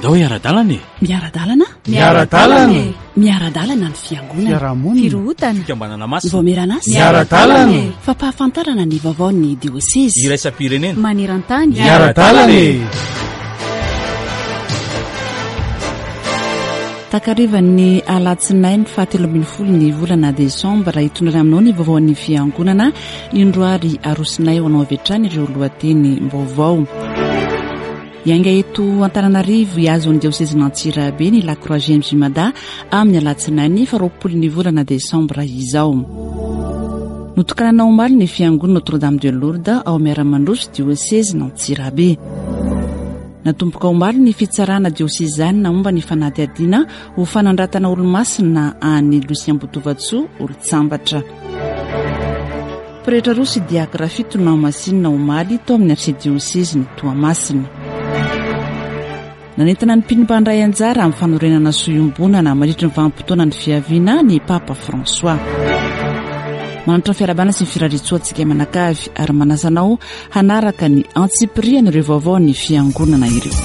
Andao hiara-dalana e! Miara-dalana? Miara-dalana e! Miara-dalana ny fiangonana. Fiarahamonina. Firohotana. Fikambanana masina. Vaomieran'asa. Miara-dalana e! Fampahafantarana ny vaovaon'ny diosezy. Iraisam-pirenena. Maneran-tany. Miara-dalana e! Takarivan'ny alatsinainy faha 13 ny volana desambra hitondrana aminao ny vaovaon'ny fiangonana indro ary arosinay ho anao avy hatrany ireo lohateny-baovao. Hiainga eto Antananarivo hihazo ny diosezin'Antsirabe ny Lakroa GMJ Mada amin'ny alatsinainy faharoapolo ny volana desambra izao. Notokanana omaly ny fiangonana Notre Dame de Lourdes ao Miaramandroso diosezin'Antsirabe. Natomboka omaly ny fitsarana diosezanina momba ny fanadihadiana ho fanandratana olomasina an'i Lucien Botovatsoa olon-tsambatra. Pretra roa sy diakra fito nohamasinina omaly tao amin'ny arsidiosezin'i Toamasina. Nanentana ny mpino mpandray anjara amin'ny fanorenana soa iombonana mandritry ny vanim-potoanan'ny fiaviana ny Papa François. Manolotra ny fiarahabana sy ny firariantsoa antsika mianakavy ary manasa anao hanaraka ny antsipirian'ireo vaovaon'ny fiangonana ireo.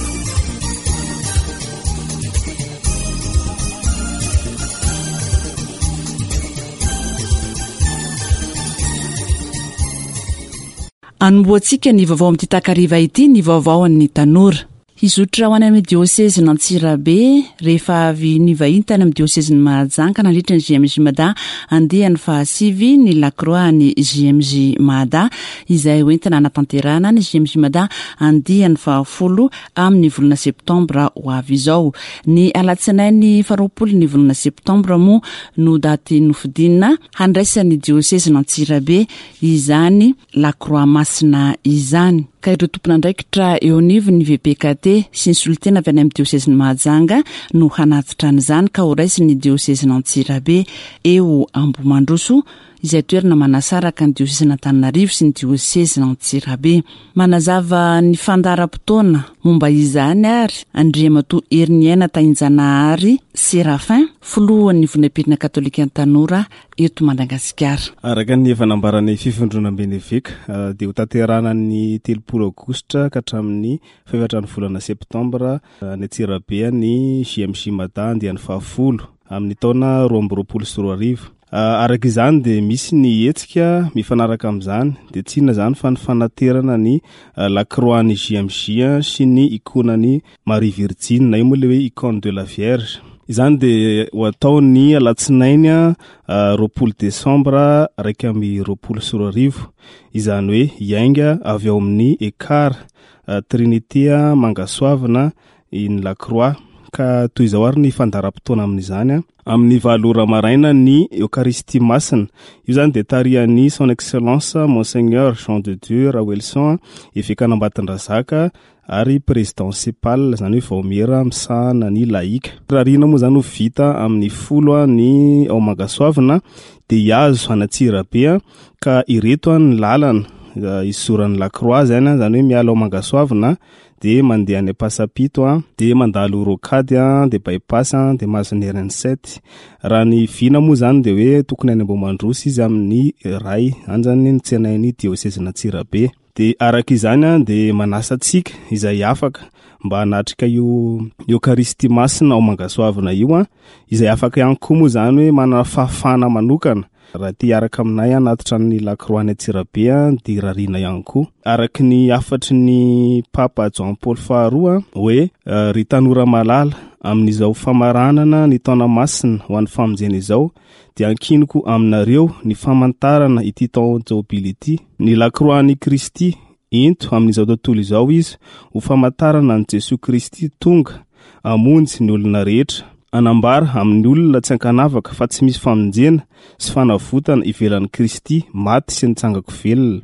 Anombohantsika ny vaovao amin'ity takariva ity ny vaovaon'ny tanora. Hizotra ho any amin'ny diosezin'Antsirabe rehefa avy nivahiny tany amin'ny diosezin'i Mahajanga nandritra ny JMJ Mada andiany fahasivy ny Lakroa ny JMJ Mada izay hoentina hanatanterahana ny JMJ Mada andiany fahafolo amin'ny volana septambra ho avy izao. Ny alatsinainy faharoapolo ny volana septambra moa no daty nofidina handraisan'ny diosezin'Antsirabe izany Lakroa Masina izany, ka ireo tompon'andraikitra eo anivon'ny VPKT sy ny solontena avy any amin'ny diosezin'i Mahajanga no hanatitra an'izany ka horaisin'ny diosezin'Antsirabe eo Ambohimandroso izay toerana manasaraka ny diosezin'Antananarivo sy ny diosezin'Antsirabe. Manazava ny fandaharam-potoana momba izany ary Andriamatoa Heriniaina Tahinjanahary Séraphin, filohan'ny Vondrom-pirenena Katolikan'ny Tanora eto Madagasikara. Araka ny efa nambaran'ny Fivondronamben'ny Eveka dia hotanterahana ny 30 aogositra ka hatramin'ny fahefatra ny volana septambra any Antsirabe ny JMJ Mada andiany fahafolo amin'ny taona 2022. Araka izany dia misy ny hetsika mifanaraka amin'izany dia tsy inona izany fa ny fanaterana ny lakroan'ny JMJ sy ny ikonan'i Marie Virjiny na io moa ilay hoe icône de la Vierge. Izany dia ho atao ny alatsinainy 20 desambra 2021, izany hoe hiainga avy ao amin'ny Ekar Trinité Mangasoavina iny Lakroa. Ka toy izao ary ny fandaharam-potoana amin'izany. Amin'ny valo ora maraina ny Eokaristia Masina. Io izany dia tarihan'ny Son Excellence Monseigneur Jean de Dieu Raoelison, Evekan'Ambatondrazaka ary Président CEPAL, izany hoe vaomiera misahana ny laïka. Rarihina moa izany ho vita amin'ny 10 ny ao Mangasoavina dia hihazo an'Antsirabe ka ireto ny lalana hizoran'ny Lakroa izany, izany hoe miala ao Mangasoavina dia mandeha any Ampasampito a, dia mandalo rocade a, dia bypass a, dia mahazo ny RN sept. Raha ny vina moa izany dia hoe tokony any Ambohimandroso izy amin'ny iray, any izany no tsenain'ny diosezin'Antsirabe. Dia araka izany a, dia manasa antsika izay afaka mba hanatrika io Eokaristia Masina ao Mangasoavina io a, izay afaka ihany koa moa izany hoe manana fahafahana manokana Raha te hiaraka aminay hanatitra ny lakroa any Antsirabe dia rariana ihany koa. Araka ny hafatry ny Papa Jean Paul faharoa hoe ry tanora malala, amin'izao famaranana ny taona masina ho an'ny famonjena izao dia ankiniko aminareo ny famantarana ity taon-jobily ity, ny lakroan'i Kristy Ento amin'izao tontolo izao izy ho famantarana an'i Jesoa Kristy tonga hamonjy ny olona rehetra. Hanambara amin'ny olona tsy ankanavaka fa tsy misy famonjena sy fanavotana ivelan'i Kristy maty sy nitsangako velona.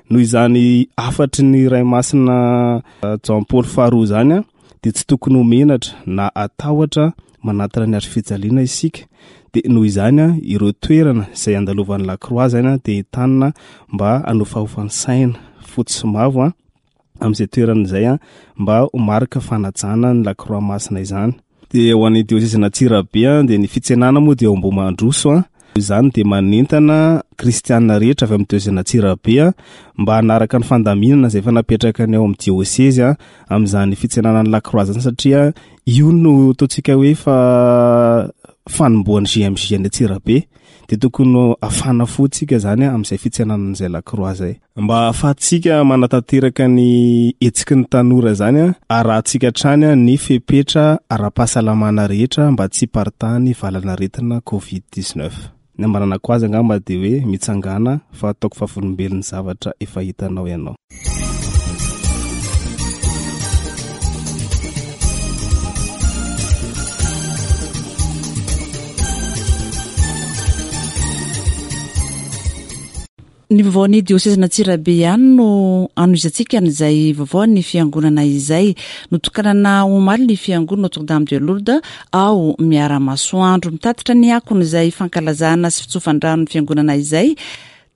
Noho izany hafatry ny Ray Masina Jean Paul faharoa izany dia tsy tokony ho menatra na hatahotra manatona ny hazofijaliana isika dia noho izany ireo toerana izay andalovan'ny lakroa izany dia entanina mba hanofahofa ny saina fotsy sy mavo amin'izay toerana izay mba ho marika fanajana ny lakroa masina izany. Dia ho an'ny diosezin'Antsirabe dia ny fitsenana moa dia ao Ambohimandroso. Izany dia manentana kristiana rehetra avy amin'ny diosezin'Antsirabe mba hanaraka ny fandaminana izay efa napetraka ny ao amin'ny diosezy amin'izany fitsenana ny lakroa izany satria io no ataontsika hoe fa fanombohan'ny JMJ any Antsirabe dia tokony hafana fo tsika izany amin'izay fitsenana an'izay lakroa izay. Mba ahafahantsika manatanteraka ny hetsiky ny tanora izany, arahantsika hatrany ny fepetra ara-pahasalamana rehetra mba tsy hiparitahan'ny valanaretina Covid 19. Ny ambananako azy angamba dia hoe mitsangàna fa ataoko vavolombelon'ny zavatra efa hitanao ianao. Ny vaovaon'ny diosezin'Antsirabe ihany no anohizantsika an'izay vaovaon'ny fiangonana izay. Notokanana omaly ny fiangonana Notre Dame de Lourdes ao Miaramasoandro. Mitatitra ny akon'izay fankalazana sy fitsofan-drano ny fiangonana izay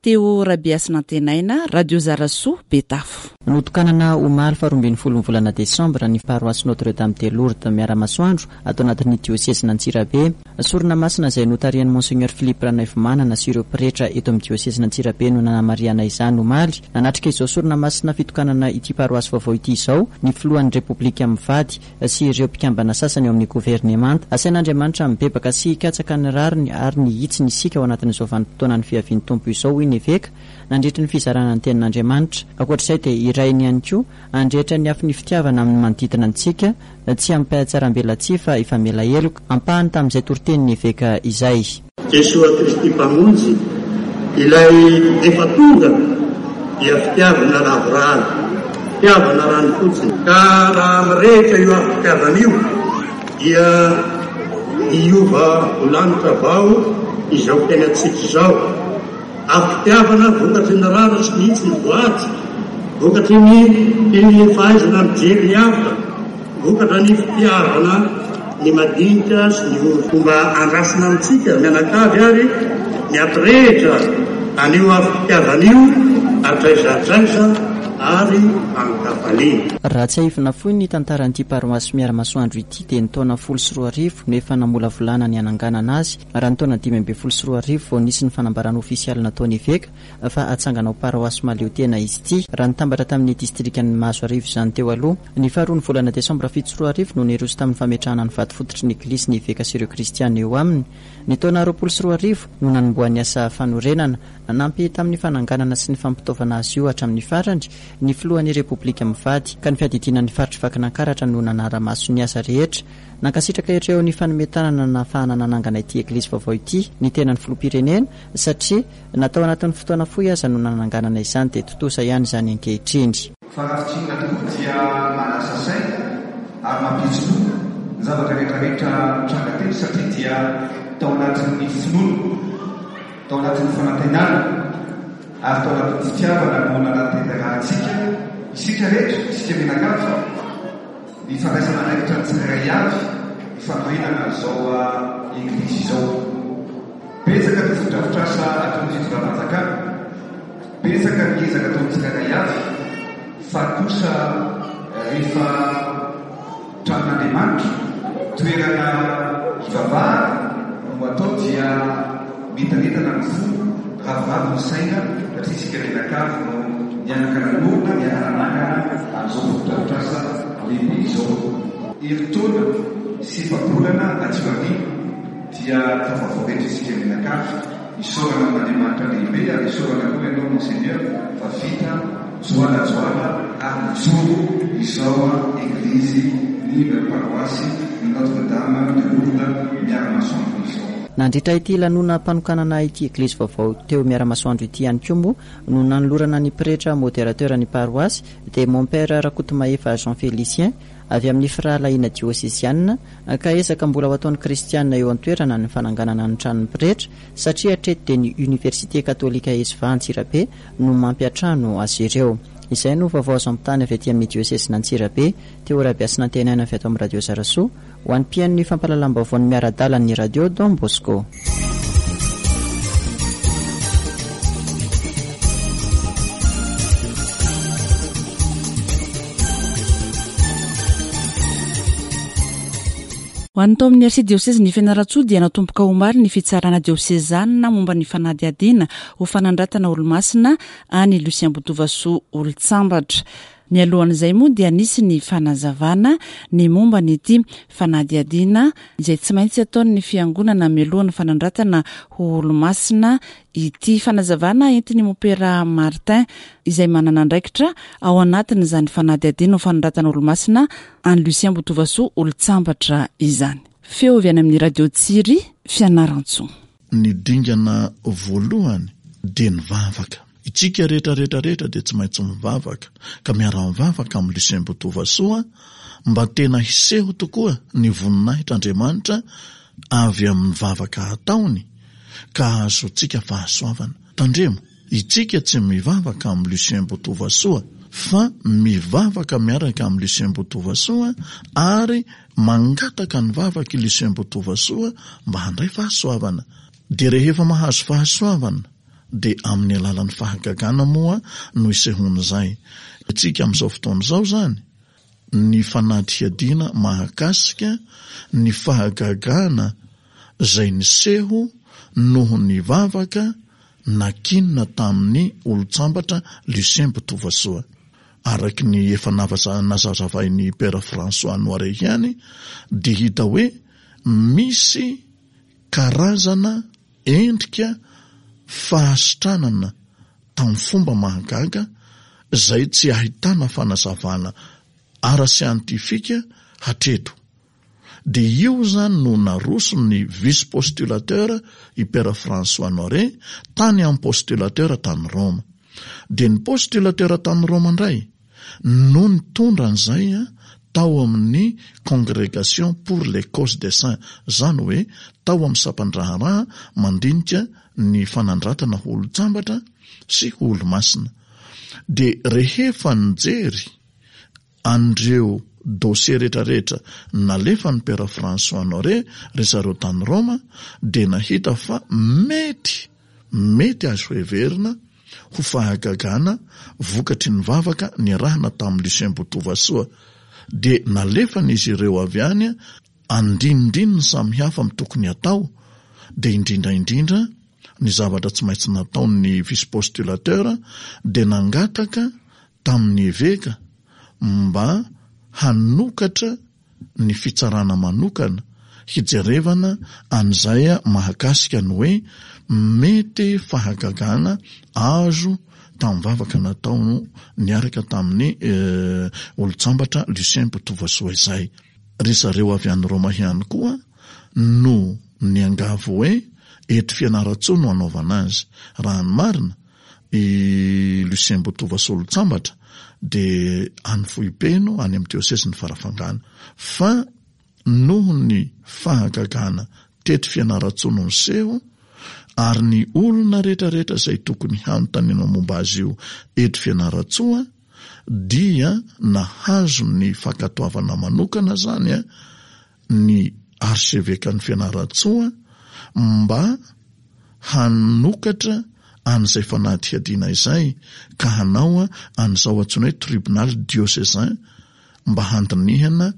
Théo Rabehasinantenaina, Radio Zarasoa, Betafo. Notokanana omaly faharoa ambin'ny folon'ny volana desambra ny paroasy Notre Dame de Lourdes Miaramasoandro ato anatin'ny diosezin'Antsirabe. Sorona masina izay notarihan'i Monseigneur Philippe Ranaivomanana sy ireo pretra eto amin'ny diosezin'Antsirabe no nanamarihana izany omaly. Nanatrika izao sorona masina fitokanana ity paroasy vaovao ity izao ny filohan'ny Repoblika mivady sy ireo mpikambana sasany ao amin'ny governemanta. Asain'Andriamanitra mibebaka sy hikatsaka ny rariny ary ny hitsiny isika ao anatin'izao vanim-potoanan'ny fiavian'ny Tompo izao hoy ny eveka nandritry ny fizarana ny tenin'Andriamanitra. Ankoatra izay dia irahiny ihany koa handrehitra ny afon'ny fitiavana amin'ny manodidina antsika Tsy amim-pihatsarambelatsihy fa hifamela heloka. Ampahany tamin'izay toritenin'ny eveka izay. Jesoa Kristy Mpamonjy, Ilay efa tonga dia fitiavana lavorary, fitiavana ranofotsiny. Ka raha mirehitra io afo-pitiavana io dia hiova ho lanitra vao izao fiainantsika izao. Afo-pitiavana vokatry ny rariny sy ny hitsiny voady, vokatry ny fahaizana mijery ny hafa, vokatra ny fitiavana ny madinika sy ny ory. Fomba andrasana amintsika mianakavy ary ny hampirehitra an'io afo-pitiavana io hatraiza hatraiza ary an-kafaliana. Raha tsiahivina fohy ny tantaran'ity paroasy Miaramasoandro ity dia ny taona 2010 no efa namolavolana ny hananganana azy Raha ny taona 2015 vao nisy ny fanambarana ofisialy nataon'ny eveka fa hatsangana ho paroasy mahaleo tena izy ity, raha nitambatra tamin'ny distrikan'i Mahazoarivo izany teo aloha. Ny faharoan'ny volana desambra 2007 no niroso tamin'ny fametrahana ny vato fototry ny eglizy ny eveka sy ireo kristiana eo aminy. Ny taona 2020 no nanombohan'ny asa fanorenana. Nanampy tamin'ny fananganana sy ny fampitaovana azy io hatramin'ny farany ny filohan'ny Repoblika mivady, ka ny fiadidiana ny faritr'i Vakinankaratra no nanara-maso ny asa rehetra. Nankasitraka ireo nifanome tanana nahafahana nanangana ity eglizy vaovao ity ny tenan'ny filoham-pirenena satria na tao anatin'ny fotoana fohy aza no nananganana izany dia tontosa ihany izany ankehitriny. Fa raha fintinina tokoa dia mahalasa saina ary mampihetsi-po ny zavatra rehetra rehetra nitranga teto satria dia tao anatin'ny finoana, tao anatin'ny fanantenana ary tao anatin'ny fitiavana no nanatanterahantsika, isika rehetra, isika mianakavy, Ny fandraisana andraikitra ny tsirairay avy ny fanorenana an'izao Eglizy izao. Betsaka ny fotodrafitrasa ataon'ny fitondram-panjakana, betsaka ny ezaka ataon'ny tsirairay avy, fa kosa rehefa tranon'Andriamanitra, toerana hivavahana no atao dia mientanentana ny fo, ravoravo ny saina satria isika mianakavy no nianaka nanorina, niara-nanangana an'izao fotodrafitrasa lehibe izao. Herintaona sy efa-bolana aty aoriana dia tafavoaka eto isika mianakavy. Isaorana amin'Andriamanitra lehibe ary isaorana koa ianao Monseigneur fa vita joalajoala ary mijoro izao Eglizy ny paroasy ny Notre Dame de Lourdes Miaramasoandro izao. Nandritra ity lanonam-panokanana ity Eglizy vaovao teo Miaramasoandro ity ihany koa moa no nanolorana ny pretra modérateur ny paroasy dia Mon Père Rakotomahefa Jean Félicien avy amin'ny firahalahiana diosezianina ka ezaka mbola ho ataon'ny kristianina eo an-toerana ny fananganana ny tranon'ny pretra satria hatreto dia ny Université Katolika Esva Antsirabe no mampiantrano azy ireo. Izay no vaovao azo ampitany avy aty amin'ny diosezin'Antsirabe, Théo Rabehasinantenaina avy ato amin'ny Radio Zarasoa, ho an'ny mpihaino ny fampahalalam-baovaon'ny miara-dalan'ny Radio Don Bosco. Ho an'ny tao amin'ny Arsidiosezin'i Fianarantsoa dia natomboka omaly ny fitsarana diosezanina momba ny fanadihadiana ho fanandratana olomasina an'i Lucien Botovasoa Olontsambatra. Mialohan'izay moa dia nisy ny fanazavana ny momba an'ity fanadihadiana izay tsy maintsy ataon'ny fiangonana mialohan'ny fanandratana ho olomasina ity. Fanazavana entin'i Mompera Martin izay manana andraikitra ao anatin'izany fanadihadiana ho fanandratana olomasina an'i Lucien Botovasoa Olontsambatra izany. Feo avy any amin'ny Radio Tsiry, Fianarantsoa. Ny dingana voalohany dia ny vavaka. Itsika rehetra rehetra rehetra dia tsy maintsy mivavaka, ka miara-mivavaka amin'i Lucien Botovasoa mba tena hiseho tokoa ny voninahitr'Andriamanitra avy amin'ny vavaka ataony ka hahazoantsika fahasoavana. Tandremo! Itsika tsy mivavaka amin'i Lucien Botovasoa fa mivavaka miaraka amin'i Lucien Botovasoa ary mangataka ny vavak'i Lucien Botovasoa mba handray fahasoavana. Dia rehefa mahazo fahasoavana dia amin'ny alalan'ny fahagagana moa no isehoan'izay. Itsika amin'izao fotoana izao izany ny fanadihadiana mahakasika ny fahagagana izay niseho noho ny vavaka nakinina tamin'ny olon-tsambatra Lucien Botovasoa. Araky ny efa nazazavain'i Père François Noiret ihany dia hita hoe misy karazana endrika fahasitranana tamin'ny fomba mahagaga izay tsy ahitana fanazavana ara-siantifika hatreto. Dia io izany no naroson'ny vice-postulateur i Père François Noiret tany amin'ny postulateur tany Roma. Dia ny postulateur tany Roma indray no nitondra an'izay tao amin'ny Congrégation pour les causes des saints, izany hoe tao amin'ny sampan-draharaha mandinika ny fanandratana ho olon-tsambatra sy ho olomasina. Dia rehefa nijery an'ireo dossier rehetrarehetra nalefan'ny Père François Noiret ry zareo tany Roma dia nahita fa mety, mety azo heverina ho fahagagana vokatry ny vavaka niarahana tamin'i Lucien Botovasoa dia nalefan'izy ireo avy any andinindininy samihafa amin'ny tokony hatao dia indrindra indrindra ny zavatra tsy maintsy nataon'ny vice-postulateur dia nangataka tamin'ny eveka mba hanokatra ny fitsarana manokana hijerevana an'izay mahakasika ny hoe mety fahagagana azo tamin'ny vavaka natao niaraka tamin'ny olon-tsambatra Lucien Botovasoa izay. Ry zareo avy any Roma ihany koa no niangavy hoe eto Fianarantsoa no hanaovana azy. Raha ny marina, i Lucien Botovasoa olon-tsambatra dia any Vohipeno, any amin'ny diosezin'i Farafangana. Fa noho ny fahagagana teto Fianarantsoa no niseho, ary ny olona rehetrarehetra izay tokony hanontaniana momba azy io eto Fianarantsoa dia nahazo ny fankatoavana manokana izany ny arsevekan'i Fianarantsoa mba hanokatra an'izay fanadihadiana izay ka hanao an'izao antsoina hoe tribunal diocésain mba handinihana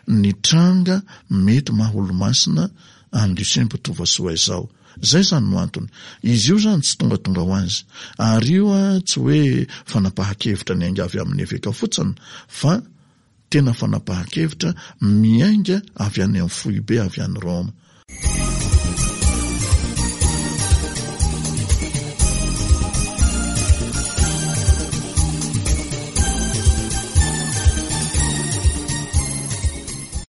ny tranga mety maha olomasina an'i Lucien Mpitovasoa izao. Izay izany no antony. Izy io izany tsy tongatonga ho azy. Ary io tsy hoe fanapahan-kevitra niainga avy amin'ny eveka fotsiny fa Tena fanapahan-kevitra miainga avy any amin'ny foibe avy any Roma.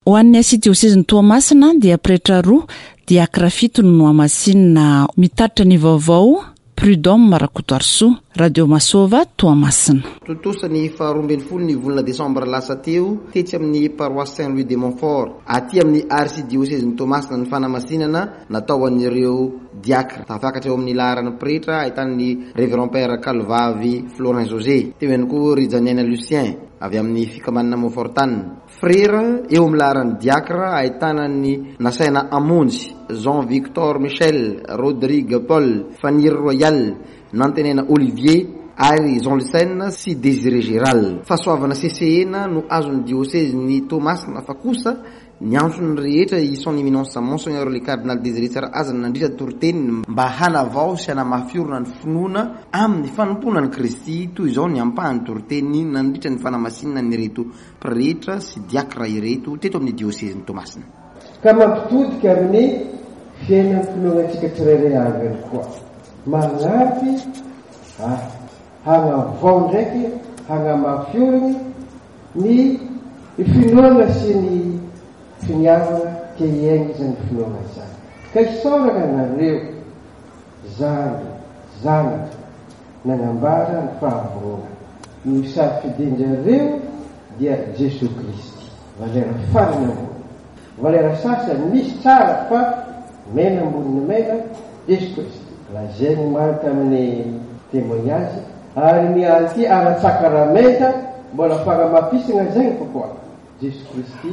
Ho an'ny Arsidiosezin'i Toamasina dia pretra roa, diakra fito no nohamasinina. Mitatitra ny vaovao Prud'homme Rakotoarisoa, Radio Masova, Toamasina. Tontosa ny faha 12 ny volana desambra lasa teo tetsy amin'ny Paroisse Saint Louis de Montfort, aty amin'ny Arsidiosezin'i Toamasina ny fanamasinana natao an'ireo diakra. Tafakatra eo amin'ny laharan'ny pretra ahitana ny Révérend Père Kalovavy Florin José. Teo ihany koa Rijaniaina Lucien avy amin'ny fikambanana Montfortane. Frera eo amin'ny laharan'ny diakra ahitana an'i Nasaina Hamonjy, Jean Victor Michel, Rodrigue Paul, Faniry Royal, Nantenaina Olivier ary Jean Lucène sy Désiré Gérald. Fahasoavana sesehena no azon'ny diosezin'i Toamasina fa kosa. Niantso ny rehetra i Son Eminence Monseigneur le Cardinal Désiré Tsarahazana nandritra ny toriteniny mba hanavao sy hanamafy orina ny finoana amin'ny fanompoana an'i Kristy. Toy izao ny ampahan'ny toriteniny nandritra ny fanamasinana an'ireto pretra sy diakra ireto teto amin'ny diosezin'i Toamasina. Ka mampitodika amin'ny fiainam-pinoana antsika tsirairay avy ihany koa. Manampy ahy hanavao ndraiky hanamafy oriny ny finoana sy ny finiavana te hiaina izany finoana izany. Ka isaorana anareo zandry, zanaka, nanambara ny fahavononana. Ny safidin-drareo dia Jesoa Kristy. Valera farany ambony. Valera sasany misy tsara fa mena ambonin'ny mena, Jesoa Kristy. Lazainy omaly tamin'ny témoignage ary ny anty ara-tsakaramenta mbola fanamafisana zegny fa koa Jesoa Kristy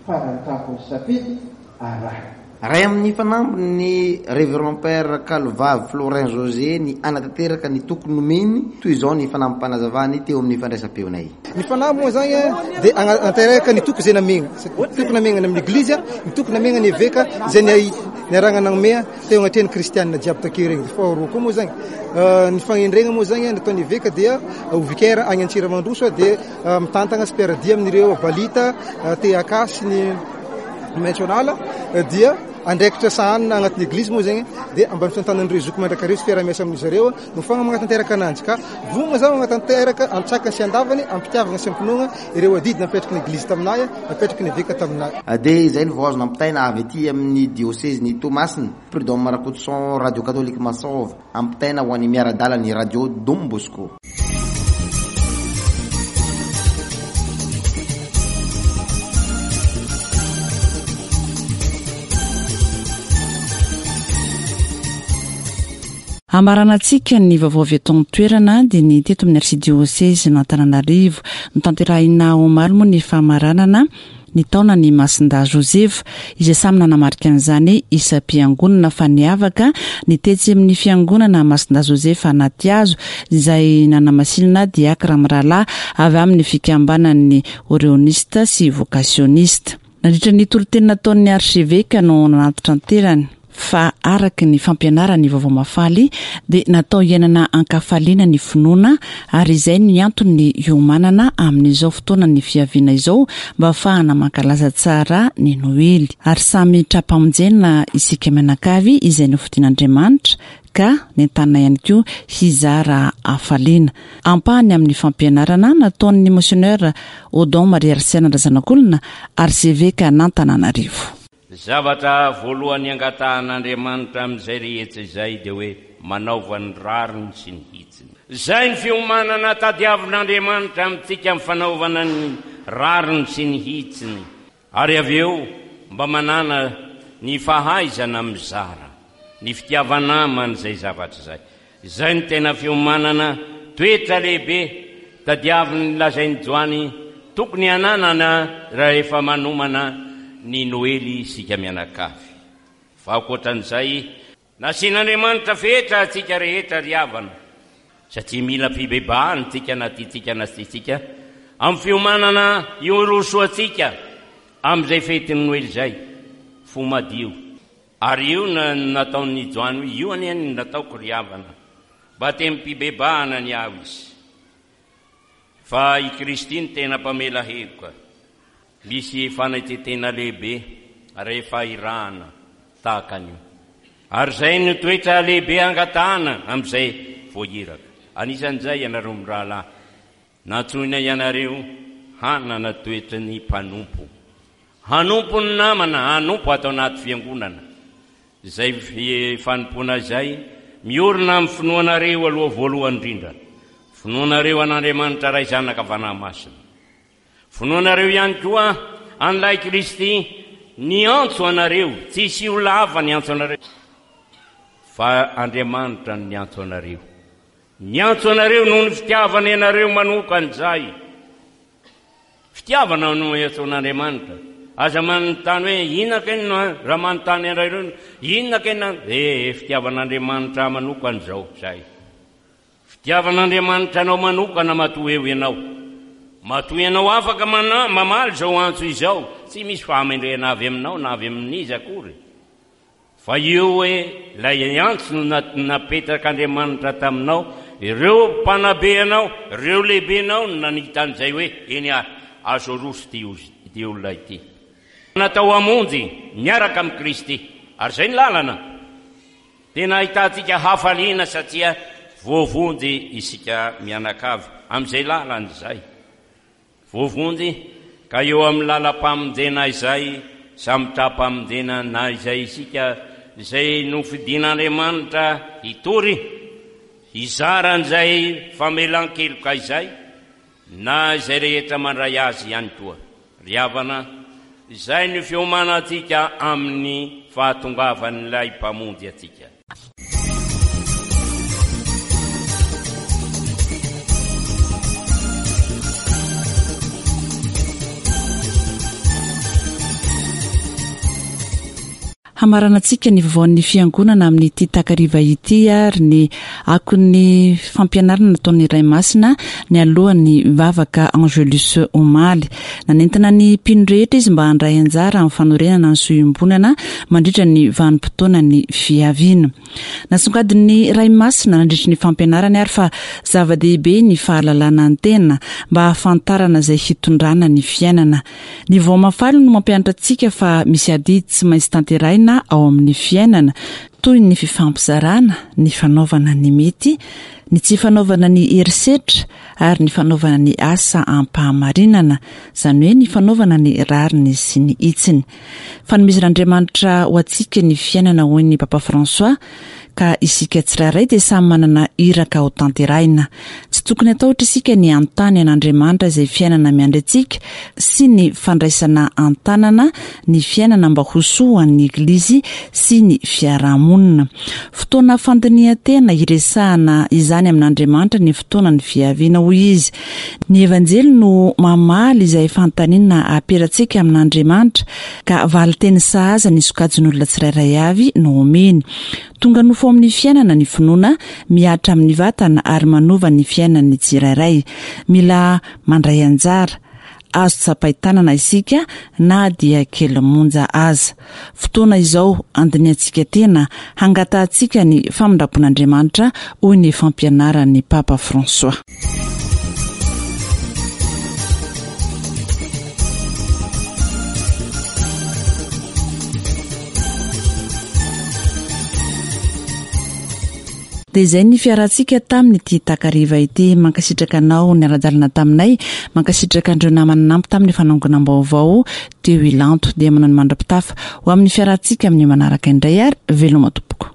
farany tampon'ny safidy arahina. Ray amin'ny fanamby ny Révérend Père Kalovavy Florin José ny hanatanteraka ny toky nomeny, toy izao ny fanampim-panazavany teo amin'ny fandraisam-peonay. Ny fanamby moa zany dia hanatanteraka ny toky izay namegna, toky namegna amin'ny Eglizy, ny toky namegna ny Eveka izay niarahana nanomea teo agnatrehan'ny kristianina jiaby takeo regny. Faharoa koa moa zany ny fagnendregna moa zany nataon'ny Eveka dia ho vicaire agny Antsiramandroso dia mitantagna sy mpiara-dia amin'ireo Balita, TAK sy ny National dia andraikitra sahanina agnatin'ny eglizy moa zegny dia ambany fitantanan'ireo zoky mandrakariva sy fiaraha-miasa amin'izy ireo no fagna magnatanteraka ananjy ka vonona zaho magnatanteraka antsakany sy andavany am-pitiavagna sy am-pinoagna ireo adidy napetraky ny eglizy taminay napetraky ny eveka taminay. Dia izay no vao azo nampitaina avy aty amin'ny diosezin'i Toamasina. Prud'homme Rakotoson, Radio Catholique Masova, ampitaina ho an'ny miara-dalan'ny Radio Don Bosco. Hamaranantsika ny vaovao avy eto an-toerana dia ny teto amin'ny Arsidiosezin'Antananarivo. Notanterahina omaly moa ny famaranana ny taonan'i Masindahy Josefa, izay samy nanamarika an'izany isam-piangonana fa niavaka ny tetsy amin'ny fiangonana Masindahy Josefa Anatihazo izay nanamasinana diakra mirahalahy avy amin'ny fikambanan'ny Oreonista sy Vokasionista. Nandritra ny toriteny nataon'ny Archeveka no nanantitranterany fa araka ny fampianaran'ny Vaovao Mahafaly dia natao hiainana an-kafaliana ny finoana ary izay ny antony hiomanana amin'izao fotoanan'ny fiaviana izao mba hahafahana mankalaza tsara ny Noely. Ary samy tra-pamonjena isika mianakavy izay nofidin'Andriamanitra ka nentanina ihany koa hizara hafaliana. Ampahany amin'ny fampianarana nataon'ny Monseigneur Odon Marie Arsène Razanakolona, Arsevekan'Antananarivo. Zavatra voalohany angatahan'Andriamanitra amin'izay rehetra izay dia hoe manaova ny rariny sy ny hitsiny. Izay ny fiomanana tadiavin'Andriamanitra amintsika amin'ny fanaovana ny rariny sy ny hitsiny. Ary avy eo mba manàna ny fahaizana mizara, ny fitiava-namana izay zavatra izay. Izay no tena fiomanana, toetra lehibe tadiavin'ny lazain'i Joany tokony hananana rahefa manomana ny Noely isika mianakavy. Fa ankoatran'izay, nasian'Andriamanitra fetra antsika rehetra ry havana, satria mila fibebahana isika na tiantsika na tsy tiantsika, amin'ny fiomanana hirosoantsika amin'izay fetin'ny Noely izay, fo madio. Ary io no nataon'i Joany hoe, Io anie no nataoko, ry havana, batemim-pibebahana ny ahy izy. Fa i Kristy no tena mpamela heloka. Misy fanetren-tena lehibe rehefa irahana tahaka an'io. Ary izay no toetra lehibe angatahana amin'izay voahiraka. Anisan'izay ianareo mirahalahy. Nantsoina ianareo hanana toetry ny mpanompo. Hanompo ny namana, hanompo ato anaty fiangonana. Izay fanompoana izay, miorina amin'ny finoanareo aloha voalohany indrindra. Finoanareo an'Andriamanitra Ray Zanaka Fanahy Masina. Finoanareo ihany koa an'ilay Kristy niantso anareo, tsisy olona hafa niantso anareo fa Andriamanitra no niantso anareo. Niantso anareo noho ny fitiavany anareo manokana izahay. Fitiavana no iantsoan'Andriamanitra. Aza manontany hoe inona kay no raha manontany anareo inona kay na eh fitiavan'Andriamanitra manokana izao izay. Fitiavan'Andriamanitra anao manokana matoa eo ianao. Matoa ianao afaka mana mamaly izao antso izao. Tsy misy fahamendrehana avy aminao na avy amin'iza akory. Fa io hoe ilay antso no napetrak'Andriamanitra taminao, ireo mpanabe anao, ireo lehibenao no nanita an'izay hoe eny ary, azo aroso ity olona ity. Natao hamonjy miaraka amin'i Kristy. Ary izay ny lalana. Tena ahitantsika hafaliana satria voavonjy isika mianakavy amin'izay lalana izay. Voavonjy ka eo amin'ny lalam-pamonjena izay samy tra-pamonjena na izay isika izay nofidin'Andriamanitra hitory, hizara an'izay famelan-keloka izay, na izay rehetra mandray azy ihany koa. Ry havana, izay no fiomanantsika amin'ny fahatongavan'ilay Mpamonjy antsika. Hamaranantsika ny vaovaon'ny Fiangonana amin'ity takariva ity ary ny akon'ny fampianarana nataon'ny Ray Masina nialohan'ny vavaka Angelus omaly. Nanentana ny mpino rehetra izy mba handray anjara amin'ny fanorenana ny soa iombonana mandritra ny vanim-potoanan'ny fiaviana. Nasongadin'ny Ray Masina nandritry ny fampianarany ary fa zava-dehibe ny fahalalana ny tena mba hahafantarana izay hitondrana ny fiainana. Ny Vao Mahafaly no mampianatra antsika fa misy adidy tsy maintsy tanterahina ao amin'ny fiainana, toy ny fifampizarana, ny fanaovana ny mety, ny tsy fanaovana ny herisetra ary ny fanaovana ny asa am-pahamarinana, izany hoe ny fanaovana ny rariny sy ny hitsiny. Fanomezan'Andriamanitra ho antsika ny fiainana hoy ny Papa François, ka isika tsirairay dia samy manana iraka ho tanterahina. Tsy tokony hatahotra isika ny hanontany an'Andriamanitra izay fiainana miandry antsika sy ny fandraisana an-tanana ny fiainana mba ho soa ho an'ny Eglizy sy ny fiarahamonina. Fotoana fandinihan-tena hiresahana izany amin'Andriamanitra ny fotoanan'ny fiaviana, hoy izy. Ny Evanjely no mamaly izay fanontaniana aperantsika amin'Andriamanitra ka valin-teny sahaza ny sokajin'olona tsirairay avy no omeny. Tonga nofo ao amin'ny fiainana ny finoana, mihatra amin'ny vatana ary manova ny fiainan'ny tsirairay. Mila mandray anjara, azo tsapain-tanana isika na dia kely monja aza. Fotoana izao handinihantsika tena, hangatahantsika ny famindram-pon'Andriamanitra, hoy ny fampianaran'ny Papa François. Dia izay ny fiarahantsika tamin'ity takariva ity. Mankasitraka anao niara-dalana taminay. Mankasitraka an'ireo namana nanampy tamin'ny fanangonam-baovao teo Ilanto. Dia manao ny mandra-pitafa ho amin'ny fiarahantsika amin'ny manaraka indray ary veloma tompoko.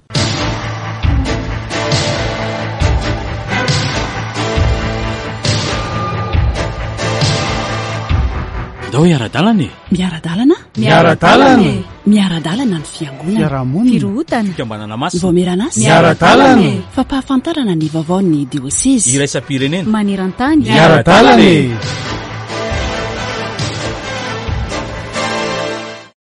Ndao hiara-dalana e! Miara-dalana? Miara-dalana e! Miara-dalana ny fiangonana. Fiarahamonina. Firohotana. Fikambanana masina. Ny vaomieran'asa. Miara-dalana e! Fampahafantarana ny vaovaon'ny diosezy. Iraisam-pirenena. Maneran-tany. Miara-dalana e!